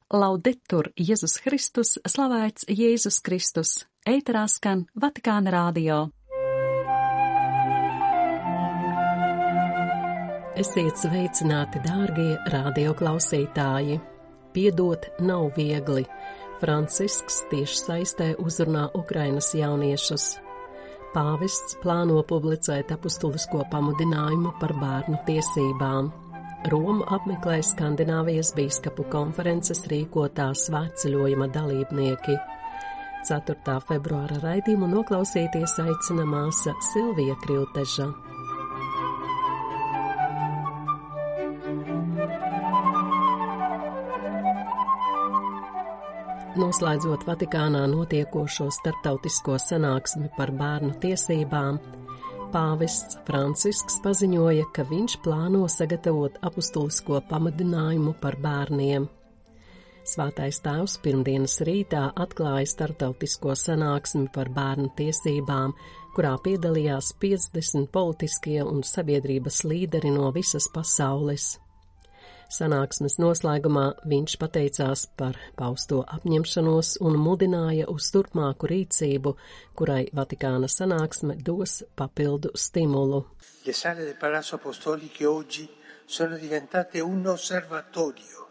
Laudetur Jēzus Kristus, slavēts Jēzus Kristus, ēterā skan Vatikāna radio. Esiet sveicināti, dārgie radioklausītāji! Piedot nav viegli. Francisks tieši saistē uzrunā Ukrainas jauniešus. Pāvests plāno publicēt apustulisko pamudinājumu par bērnu tiesībām. Romu apmeklē Skandināvijas bīskapu konferences rīkotā svētceļojuma dalībnieki. 4. februāra raidījumu noklausīties aicina māsa Silvija Krilteža. Noslēdzot Vatikānā notiekošo starptautisko sanāksmi par bērnu tiesībām, pāvests Francisks paziņoja, ka viņš plāno sagatavot apustulisko pamudinājumu par bērniem. Svētais tēvs pirmdienas rītā atklāja starptautisko sanāksmi par bērnu tiesībām, kurā piedalījās 50 politiskie un sabiedrības līderi no visas pasaules. Sanāksmes noslēgumā viņš pateicās par pausto apņemšanos un mudināja uz turpmāku rīcību, kurai Vatikāna sanāksme dos papildu stimulu. Le sale del Palazzo Apostolico oggi sono diventate un osservatorio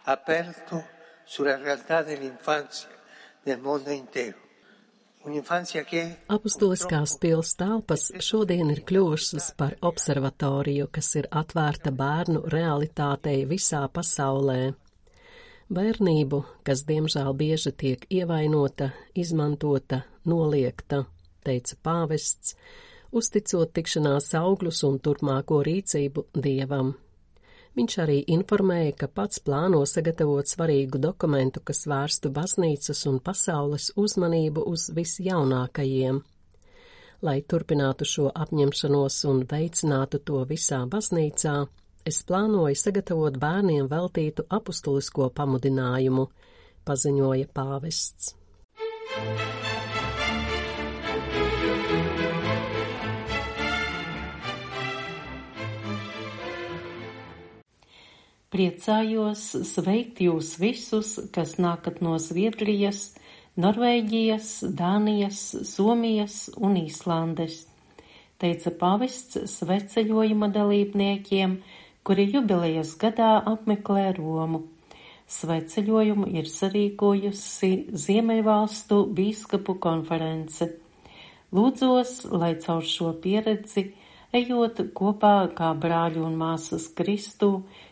aperto sulla realtà dell'infanzia nel mondo intero. Apustuliskās pils telpas šodien ir kļuvušas par observatoriju, kas ir atvērta bērnu realitātei visā pasaulē. Bērnību, kas diemžēl bieži tiek ievainota, izmantota, noliegta, teica pāvests, uzticot tikšanās augļus un turpmāko rīcību Dievam. Viņš arī informēja, ka pats plāno sagatavot svarīgu dokumentu, kas vērstu baznīcas un pasaules uzmanību uz visjaunākajiem. Lai turpinātu šo apņemšanos un veicinātu to visā baznīcā, es plānoju sagatavot bērniem veltītu apustulisko pamudinājumu, paziņoja pāvests. Priecājos sveikt jūs visus, kas nākat no Zviedrijas, Norvēģijas, Dānijas, Somijas un Īslandes, teica pāvests svētceļojuma dalībniekiem, kuri jubilejas gadā apmeklē Romu. Svētceļojumu ir sarīkojusi Ziemeļvalstu bīskapu konference. Lūdzos, lai caur šo pieredzi, ejot kopā kā brāļi un māsas Kristu,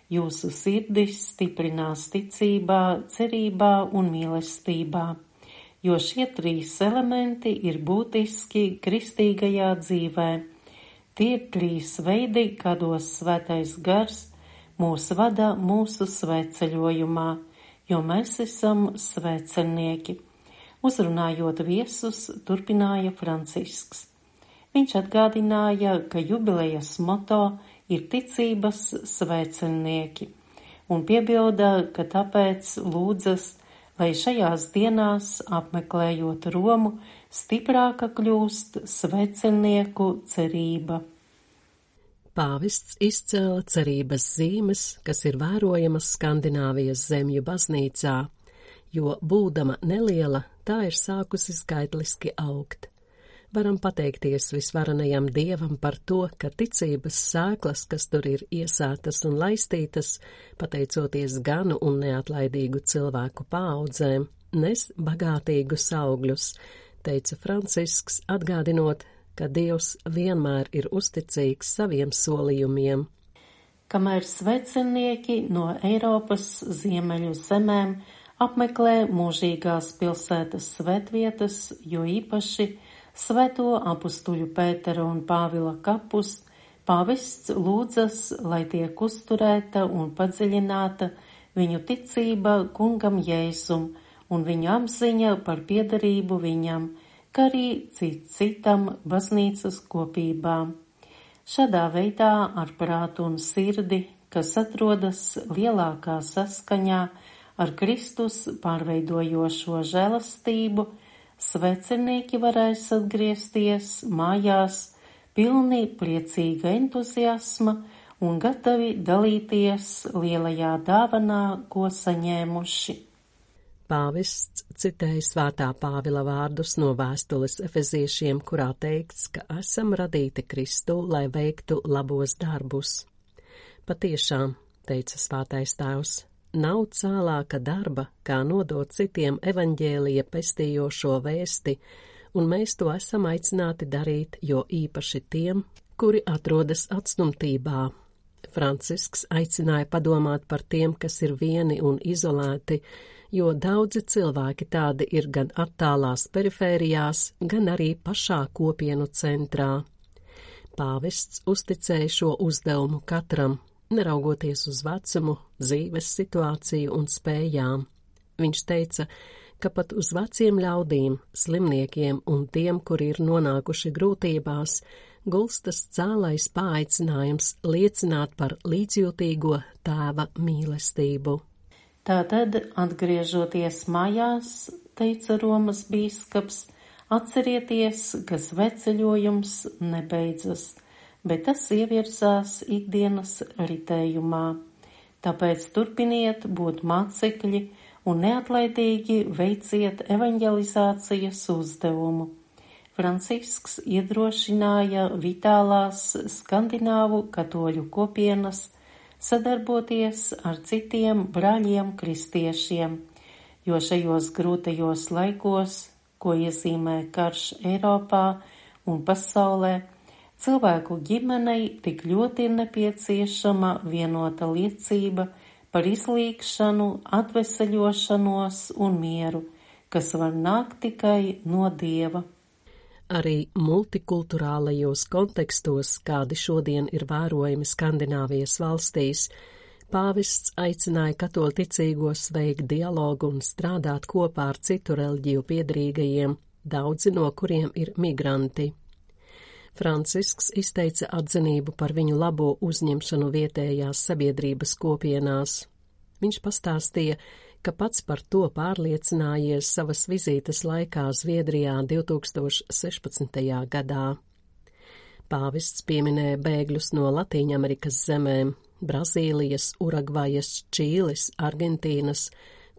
jūsu sirdis stiprinās ticībā, cerībā un mīlestībā, jo šie 3 elementi ir būtiski kristīgajā dzīvē. Tie ir 3 veidi, kādos svētais gars mūs vada mūsu svētceļojumā, jo mēs esam svētceļnieki. Uzrunājot viesus, turpināja Francisks. Viņš atgādināja, ka jubilejas moto ir ticības svētceļnieki, un piebilda, ka tāpēc lūdzas, lai šajās dienās, apmeklējot Romu, stiprāka kļūst svētceļnieku cerība. Pāvests izcēla cerības zīmes, kas ir vērojamas Skandināvijas zemju baznīcā, jo, būdama neliela, tā ir sākusi skaitliski augt. Varam pateikties visvarenajam Dievam par to, ka ticības sēklas, kas tur ir iesētas un laistītas, pateicoties ganu un neatlaidīgu cilvēku paaudzēm, nes bagātīgus augļus, teica Francisks, atgādinot, ka Dievs vienmēr ir uzticīgs saviem solījumiem. Kamēr svētceļnieki no Eiropas ziemeļu zemēm apmeklē mūžīgās pilsētas svētvietas, jo īpaši Svēto apustuļu Pētera un Pāvila kapus, pāvests lūdzas, lai tiek uzturēta un padziļināta viņu ticība kungam Jēzum un viņu apziņa par piederību viņam, kā arī citam baznīcas kopībām. Šādā veidā ar prātu un sirdi, kas atrodas lielākā saskaņā ar Kristus pārveidojošo žēlastību, svētceļnieki varēs atgriezties mājās pilni priecīga entuziasma un gatavi dalīties lielajā dāvanā, ko saņēmuši. Pāvests citēja svētā Pāvila vārdus no vēstules efeziešiem, kurā teikts, ka esam radīti Kristu, lai veiktu labos darbus. Patiešām, teica svētais tēvs, nav cēlāka darba, kā nodot citiem evaņģēlija pestījošo vēsti, un mēs to esam aicināti darīt, jo īpaši tiem, kuri atrodas atstumtībā. Francisks aicināja padomāt par tiem, kas ir vieni un izolēti, jo daudzi cilvēki tādi ir gan attālās perifērijās, gan arī pašā kopienu centrā. Pāvests uzticēja šo uzdevumu katram, neraugoties uz vecumu, dzīves situāciju un spējām. Viņš teica, ka pat uz veciem ļaudīm, slimniekiem un tiem, kuri ir nonākuši grūtībās, gulstas cēlais paaicinājums liecināt par līdzjūtīgo tēva mīlestību. Tātad, atgriežoties mājās, teica Romas bīskaps, atcerieties, ka sveceļojums nebeidzas, bet tas ievirzās ikdienas ritējumā. Tāpēc turpiniet būt mācekļi un neatlaidīgi veiciet evaņģelizācijas uzdevumu. Francisks iedrošināja vitālās skandināvu katoļu kopienas sadarboties ar citiem brāļiem kristiešiem, jo šajos grūtajos laikos, ko iezīmē karš Eiropā un pasaulē, cilvēku ģimenei tik ļoti ir nepieciešama vienota liecība par izlīgšanu, atveseļošanos un mieru, kas var nākt tikai no Dieva. Arī multikulturālajos kontekstos, kādi šodien ir vērojami Skandināvijas valstīs, pāvests aicināja katoļticīgos veikt dialogu un strādāt kopā ar citu reliģiju piedrīgajiem, daudzi no kuriem ir migranti. Francisks izteica atzinību par viņu labo uzņemšanu vietējās sabiedrības kopienās. Viņš pastāstīja, ka pats par to pārliecinājies savas vizītes laikā Zviedrijā 2016. gadā. Pāvests pieminēja bēgļus no Latīņamerikas zemēm, Brazīlijas, Urugvajas, Čīles, Argentīnas,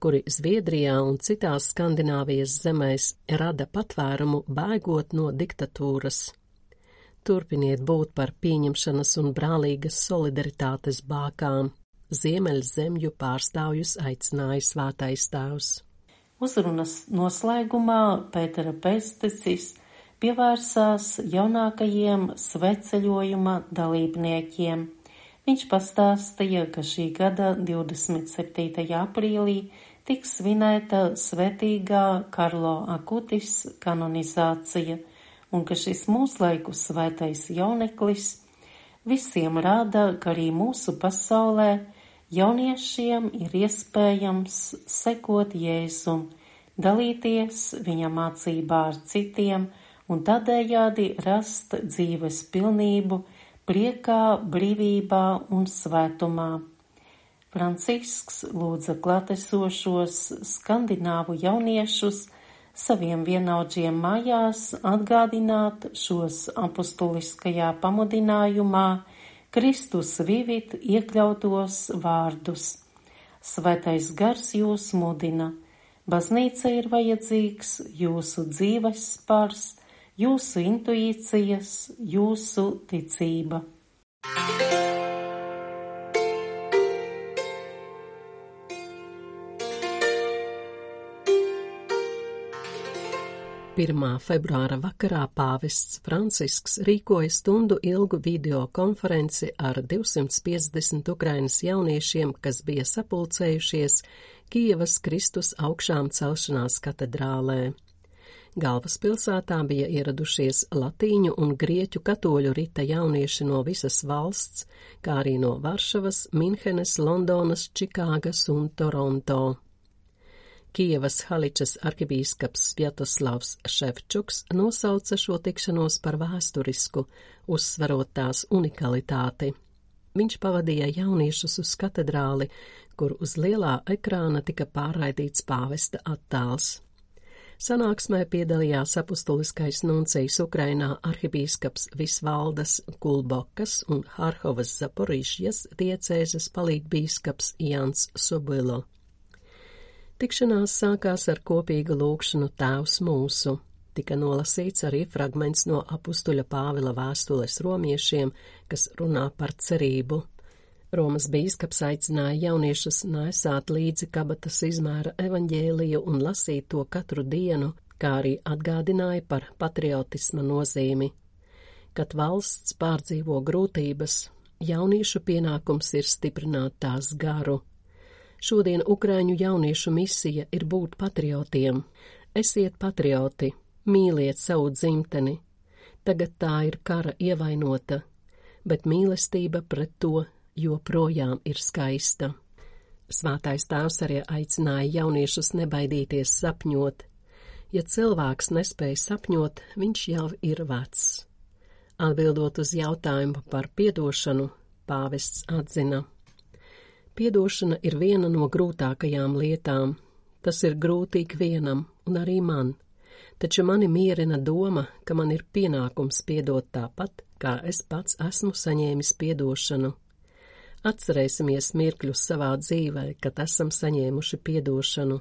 kuri Zviedrijā un citās Skandināvijas zemēs rada patvērumu bēgot no diktatūras. Turpiniet būt par pieņemšanas un brālīgas solidaritātes bākām. Ziemeļzemju pārstāvjus aicināja svētais tēvs. Uzrunas noslēgumā Pētera Pēsticis pievērsās jaunākajiem sveceļojuma dalībniekiem. Viņš pastāstīja, ka šī gada 27. aprīlī tiks svinēta svētīgā Karlo Akutis kanonizācija, un ka šis mūslaiku svētais jauneklis visiem rāda, ka arī mūsu pasaulē jauniešiem ir iespējams sekot Jēzum, dalīties viņa mācībā ar citiem un tādējādi rast dzīves pilnību, priekā, brīvībā un svētumā. Francisks lūdza klātesošos skandināvu jauniešus saviem vienaudžiem mājās atgādināt šos apustuliskajā pamudinājumā Kristus vivit iekļautos vārdus. Svētais gars jūs mudina. Baznīca ir vajadzīgs jūsu dzīves spars, jūsu intuīcijas, jūsu ticība. Pirmā februāra vakarā pāvests Francisks rīkoja stundu ilgu videokonferenci ar 250 Ukrainas jauniešiem, kas bija sapulcējušies Kijevas Kristus augšām celšanās katedrālē. Galvaspilsētā bija ieradušies latīņu un grieķu katoļu rita jaunieši no visas valsts, kā arī no Varšavas, Minhenes, Londonas, Čikāgas un Toronto. Kijevas Haličas arhibīskaps Sviatoslavs Ševčuks nosauca šo tikšanos par vēsturisku, uzsverot tās unikalitāti. Viņš pavadīja jauniešus uz katedrāli, kur uz lielā ekrāna tika pārraidīts pāvesta attēls. Sanāksmē piedalījās apustuliskais nuncijs Ukrainā arhibīskaps Visvaldas Kulbokas un Harhovas Zaporižjas diecēzes palīgbīskaps Jans Sobilo. Tikšanās sākās ar kopīgu lūgšanu Tēvs mūsu. Tika nolasīts arī fragments no apustuļa Pāvila vēstules romiešiem, kas runā par cerību. Romas bīskaps aicināja jauniešus nesāt līdzi kabatas izmēra evaņģēliju un lasīt to katru dienu, kā arī atgādināja par patriotisma nozīmi. Kad valsts pārdzīvo grūtības, jauniešu pienākums ir stiprināt tās garu. Šodien Ukraiņu jauniešu misija ir būt patriotiem. Esiet patrioti, mīliet savu dzimteni. Tagad tā ir kara ievainota, bet mīlestība pret to joprojām ir skaista. Svētais Tēvs arī aicināja jauniešus nebaidīties sapņot. Ja cilvēks nespēj sapņot, viņš jau ir vecs. Atbildot uz jautājumu par piedošanu, pāvests atzina: piedošana ir viena no grūtākajām lietām. Tas ir grūti ikvienam, un arī man. Taču mani mierina doma, ka man ir pienākums piedot tāpat, kā es pats esmu saņēmis piedošanu. Atcerēsimies mirkļus savā dzīvē, kad esam saņēmuši piedošanu.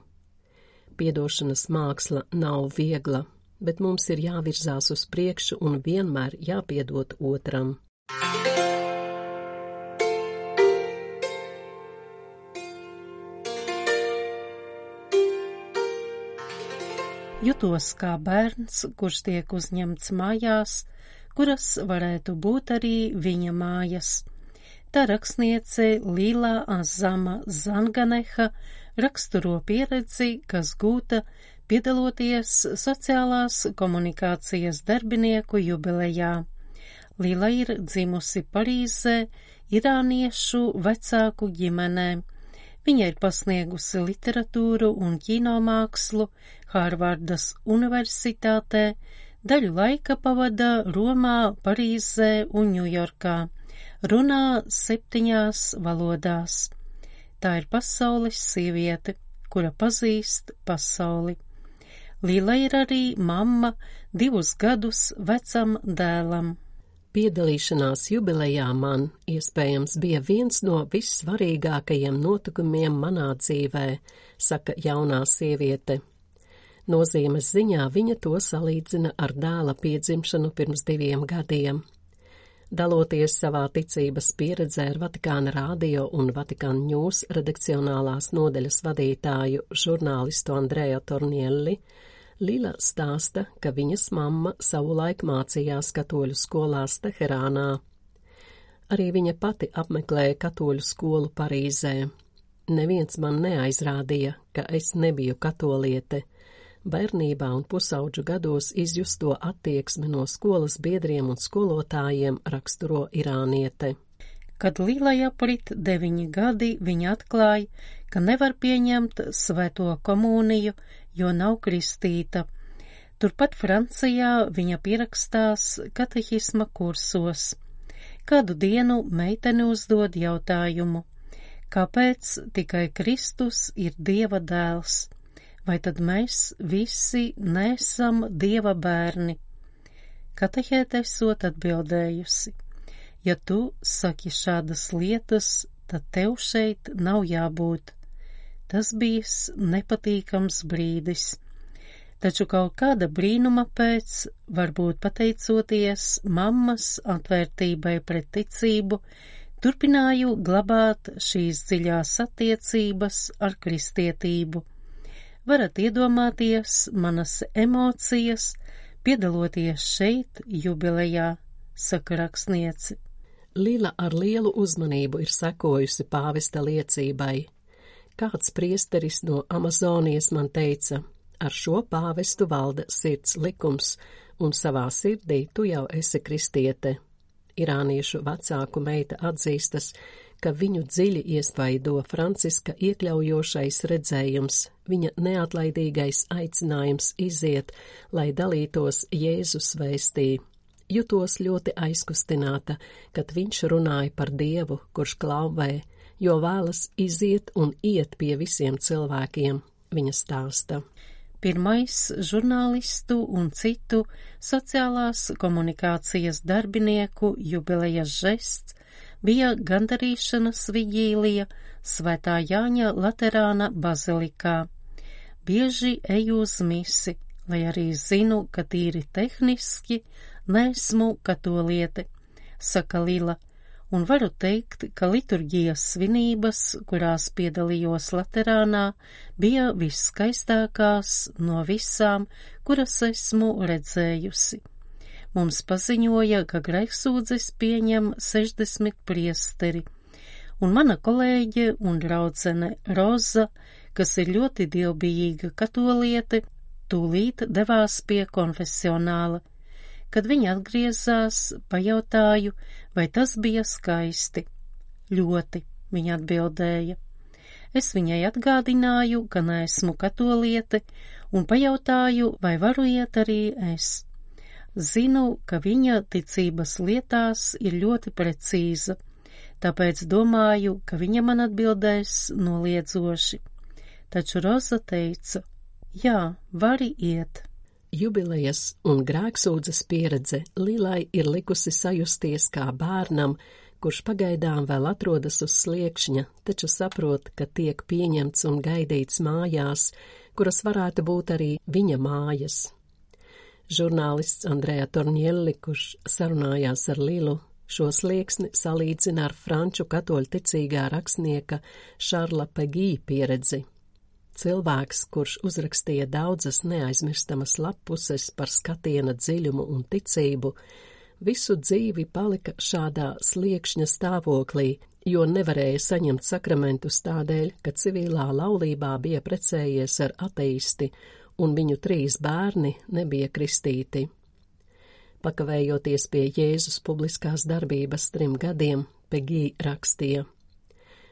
Piedošanas māksla nav viegla, bet mums ir jāvirzās uz priekšu un vienmēr jāpiedod otram. Jutos kā bērns, kurš tiek uzņemts mājās, kuras varētu būt arī viņa mājas. Tā rakstniece Lila Azama Zanganeha raksturo pieredzi, kas gūta piedaloties sociālās komunikācijas darbinieku jubilejā. Lila ir dzimusi Parīzē, irāniešu vecāku ģimenē. Viņa ir pasniegusi literatūru un kinomākslu Hārvardas universitātē, daļu laika pavada Romā, Parīzē un Ņujorkā. Runā 7 valodās. Tā ir pasaules sieviete, kura pazīst pasauli. Lila ir arī mamma 2 gadus vecam dēlam. Piedalīšanās jubilejā man, iespējams, bija viens no vissvarīgākajiem notikumiem manā dzīvē, saka jaunā sieviete. Nozīmes ziņā viņa to salīdzina ar dēla piedzimšanu pirms 2 gadiem. Daloties savā ticības pieredzē ar Vatikāna radio un Vatikāna News redakcionālās nodeļas vadītāju žurnālistu Andrea Tornielli, Lila stāsta, ka viņas mamma savulaik mācījās katoļu skolās Teherānā. Arī viņa pati apmeklēja katoļu skolu Parīzē. Neviens man neaizrādīja, ka es nebiju katoliete. Bērnībā un pusauģu gados izjusto attieksmi no skolas biedriem un skolotājiem raksturo irāniete. Kad Lilai aprit 9 gadi, viņa atklāja, ka nevar pieņemt svēto komuniju, jo nav kristīta. Turpat Francijā viņa pierakstās katehisma kursos. Kādu dienu meitene uzdod jautājumu: kāpēc tikai Kristus ir Dieva dēls? Vai tad mēs visi neesam Dieva bērni? Katehēte esot atbildējusi: ja tu saki šādas lietas, tad tev šeit nav jābūt. Tas bijis nepatīkams brīdis. Taču kaut kāda brīnuma pēc, varbūt pateicoties mammas atvērtībai pret ticību, turpināju glabāt šīs dziļās attiecības ar kristietību. Varat iedomāties manas emocijas, piedaloties šeit jubilejā, saka rakstniece. Lila ar lielu uzmanību ir sekojusi pāvesta liecībai. Kāds priesteris no Amazonijas man teica: ar šo pāvestu valda sirds likums, un savā sirdī tu jau esi kristiete. Irāniešu vecāku meita atzīstas, ka viņu dziļi iespaido Franciska iekļaujošais redzējums, viņa neatlaidīgais aicinājums iziet, lai dalītos Jēzus vēstī. Jutos ļoti aizkustināta, kad viņš runāja par Dievu, kurš klauvē, jo vēlas iziet un iet pie visiem cilvēkiem, viņa stāsta. Pirmais žurnālistu un citu sociālās komunikācijas darbinieku jubilejas žests bija gandarīšanas vigīlija Svētā Jāņa Laterāna bazilikā. bieži eju uz misi, lai arī zinu, ka tīri tehniski neesmu katoliete, saka Lila, un varu teikt, ka liturģijas svinības, kurās piedalījos Laterānā, bija visskaistākās no visām, kuras esmu redzējusi. Mums paziņoja, ka grēksūdzes pieņem 60 priesteri, un mana kolēģe un draudzene Roza, kas ir ļoti dievbijīga katoliete, tūlīt devās pie konfesionāla. Kad viņa atgriezās, pajautāju, vai tas bija skaisti. Ļoti, viņa atbildēja. Es viņai atgādināju, ka neesmu katoliete, un pajautāju, vai varu iet arī es. Zinu, ka viņa ticības lietās ir ļoti precīza, tāpēc domāju, ka viņa man atbildēs noliedzoši. Taču Roza teica, jā, vari iet. Jubilejas un grēksūdzes pieredze Lilai ir likusi sajusties kā bērnam, kurš pagaidām vēl atrodas uz sliekšņa, taču saprot, ka tiek pieņemts un gaidīts mājās, kuras varētu būt arī viņa mājas. Žurnālists Andrea Tornielli, kurš sarunājās ar Lilu, šo slieksni salīdzina ar franču katoļu ticīgā rakstnieka Šarla Pegī pieredzi. Cilvēks, kurš uzrakstīja daudzas neaizmirstamas lappuses par skatiena dziļumu un ticību, visu dzīvi palika šādā sliekšņa stāvoklī, jo nevarēja saņemt sakramentus tādēļ, ka civilā laulībā bija precējies ar ateisti, un viņu 3 bērni nebija kristīti. Pakavējoties pie Jēzus publiskās darbības 3 gadiem, Pegī rakstīja.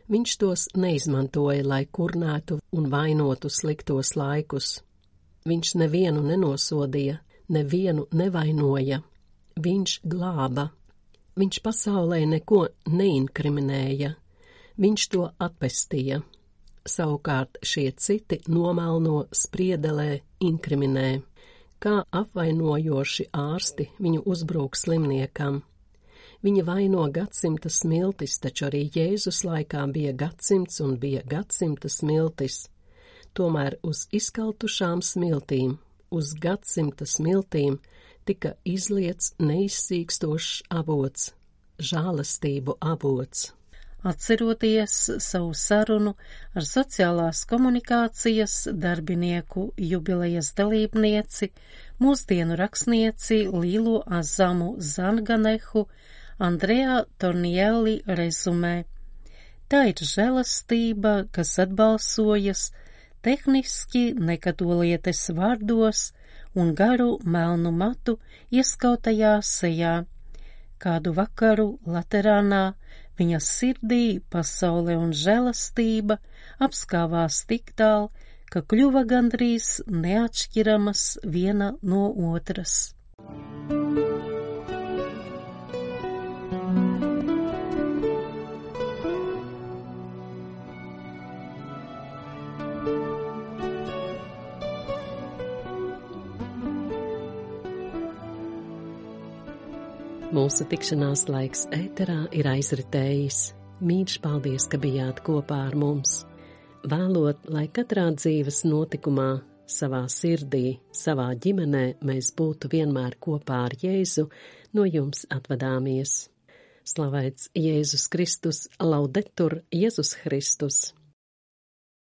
Viņš tos neizmantoja, lai kurnētu un vainotu sliktos laikus. Viņš nevienu nenosodīja, nevienu nevainoja. Viņš glāba. Viņš pasaulē neko neinkriminēja. Viņš to atpestīja. Savukārt šie citi nomelno spriedelē inkriminē. Kā apvainojoši ārsti viņu uzbrūk slimniekam. Viņa vaino gadsimta smiltis, taču arī Jēzus laikā bija gadsimts un bija gadsimta smiltis. Tomēr uz izkaltušām smiltīm, uz gadsimta smiltīm tika izliets neizsīkstošs avots, žālastību avots. Atceroties savu sarunu ar sociālās komunikācijas darbinieku jubilejas dalībnieci, mūsdienu rakstnieci Lilu Azamu Zanganehu, Andrea Tornielli rezumē. Tā ir žēlastība, kas atbalsojas tehniski nekatolietes vārdos un garu melnu matu ieskautajā sejā. Kādu vakaru Laterānā viņas sirdī pasaule un žēlastība apskāvās tik tālu, ka kļuva gandrīz neatšķiramas viena no otras. Mūsu tikšanās laiks ēterā ir aizritējis. Mīļš paldies, ka bijāt kopā ar mums. Vēlot, lai katrā dzīves notikumā, savā sirdī, savā ģimenē mēs būtu vienmēr kopā ar Jēzu, no jums atvadāmies. Slavēts Jēzus Kristus, laudetur Jēzus Kristus!